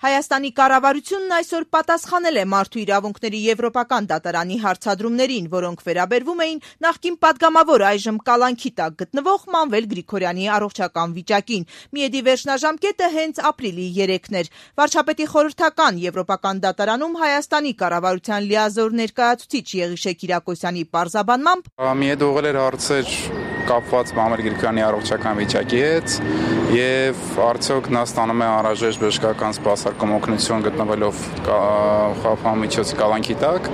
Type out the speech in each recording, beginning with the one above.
Հայաստանի կառավարությունն այսօր պատասխանել է Մարդու իրավունքների եվրոպական դատարանի հարցադրումներին, որոնք վերաբերվում էին նախկին պատգամավոր այժմ կալանքի տակ գտնվող Մանվել Գրիգորյանի առողջական վիճակին։ Միեդի վերջնաժամկետը հենց ապրիլի 3-ն էր։ Վարչապետի խորհրդական եվրոպական դատարանում Հայաստանի կառավարության լիազոր ներկայացուցիչ Եղիշե Կիրակոսյանի պարզաբանմամբ Միեդը ուղղել էր հարցեր կապված Մանվել Գրիգորյանի առողջական վիճակի հետ եւ արդյոք նա ստանում է անհրաժեշտ բժշկական սպասարկում օգնություն գտնվելով խաղաղամիջոցի կալանքի տակ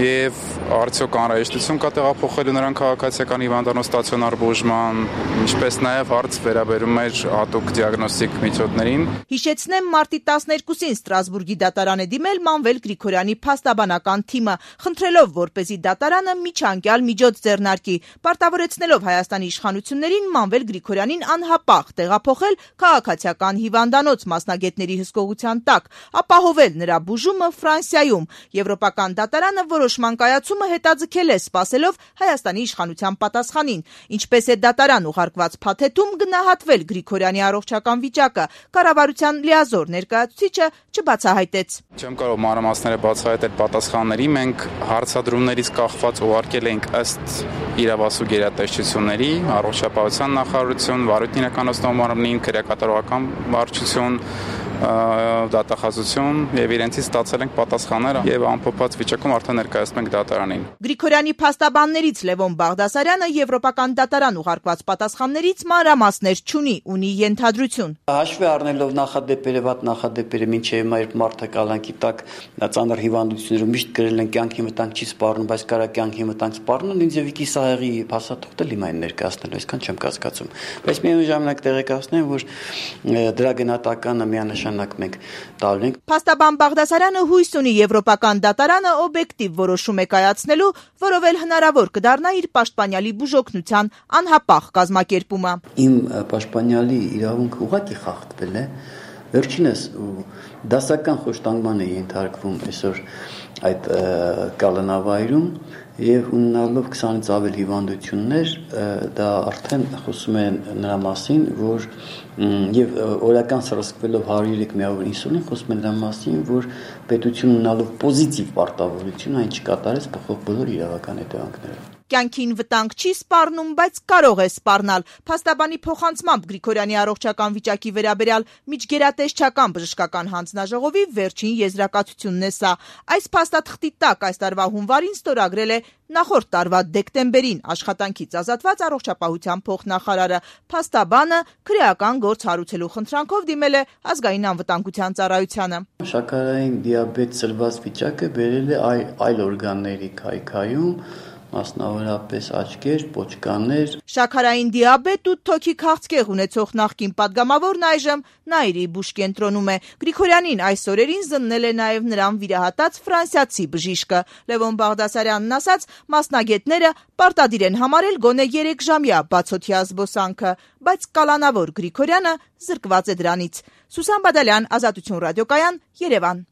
եւ արդյոք անհրաժեշտություն կա տեղափոխելու նրան քաղաքացիական հիվանդանոց ստացիոնար բուժման, ինչպես նաեւ հարց վերաբերում էր հատուկ դիագնոստիկ միջոցներին։ Հիշեցնեմ, մարտի 12-ին Ստրասբուրգի դատարան է դիմել Մանվել Գրիգորյանի փաստաբանական թիմը, խնդրելով, որպեսզի դատարանը միջանկյալ միջոց ձեռնարկի, պարտավորեցնելով Հայաստանի իշխանություններին Մանվել Գրիգորյանին անհապաղ տեղափոխել քաղաքացիական հիվանդանոց մասնագետների հսկողության տակ, ապահովել նրա բուժումը Ֆրանսիայում։ Եվրոպական դատարանը որոշման կայացումը հետաձգել է, սպասելով Հայաստանի իշխանության պատասխանին։ Ինչպես է դատարան ուղարկված փաթեթում գնահատվել Գրիգորյանի առողջական վիճակը, կառավարության լիազոր ներկայացուցիչը չբացահայտեց։ Չեմ կարող մանրամասները բացահայտել պատասխանների, մենք հարցադրումներից կախված ուղարկել ենք ըստ իրավասու գերատեսչությունների, առողջապահության նախարարություն, վարույթն իրականացնող մարմնին, քրեակատարողական վարչություն, դատախազություն եւ իրենցից ստացել ենք պատասխանները եւ ամփոփած վիճակում արդեն ներկայացնում ենք դատարանին։ Գրիգորյանի փաստաբաններից Լևոն Բաղդասարյանը եվրոպական դատարան ուղարկված պատասխաններից մանրամասներ չունի, ունի ենթադրություն։ Հաշվի առնելով նախադեպերը, վատ նախադեպերը, մինչեւ մեր մարդը կալանքի տակ ծանր հիվանդություններով միշտ գրել են կյանքի մտանք չի սպառնում, բայց կարա կյանքի մտանք սպառնան, ինձ եւիկի սահեղի փաստաթուղթը լիմային ներկայացնել, այսքան չեմ կասկածում։ Բայց միևնույն ժամանակ տեղեկացնեմ, որ դրա գնահատականը միանշանակ մենք տալու ենք։ Փաստաբան Բաղդասարյանը հույս ունի եվրոպական դատարանը օբյեկտիվ որոշում է կայացնելու, որով էլ հնարավոր կդառնա իր պաշտպանյալի բուժօգնության անհապաղ կազմակերպումը։ Իմ պաշտպանյալի իրավունքը ուղղակի խախտվել է։ Վերջինս դասական խոշտանգման է ենթարկվում այսօր այդ կալանավայրում եւ ունենալով 20-ից ավել հիվանդություններ, դա արդեն խոսում է նրա մասին, որ եւ օրական սրսկվելով 103 միավոր ինսուլին, խոսում է նրա մասին, որ պետությունը ունենալով պոզիտիվ պարտավորություն այն չկատարեց փոխող բոլոր իրավական հետևանքները։ Կյանքին վտանգ չի սպառնում, բայց կարող է սպառնալ։ Փաստաբանի փոխանցմամբ Գրիգորյանի առողջական վիճակի վերաբերյալ միջգերատեսչական բժշկական հանձնաժողովի վերջին եզրակացությունն է սա։ Այս փաստաթղթի տակ այս տարվա հունվարին ստորագրել է նախորդ տարվա դեկտեմբերին աշխատանքից ազատված առողջապահության փոխնախարարը։ Փաստաբանը քրեական գործ հարուցելու խնդրանքով դիմել է ազգային անվտանգության ծառայությանը։ Շաքարային դիաբետ ծլված վիճակը բերել է այլ օրգանների քայքայում, մասնավորապես աչքեր, պոչկաներ։ Շաքարային դիաբետ ու թոքի քաղցկեղ ունեցող նախկին պատգամավորն այժմ Նայիրի բուժկենտրոնում է։ Գրիգորյանին այս օրերին զննել է նաև նրան վիրահատած ֆրանսիացի բժիշկը։ Լևոն Բաղդասարյանն ասաց, մասնագետները պարտադիր են համարել գոնե 3 ժամյա բացօթյա զբոսանքը, բայց կալանավոր Գրիգորյանը զրկված է դրանից։ Սուսան Բադալյան, Ազատություն ռադիոկայան, Երևան։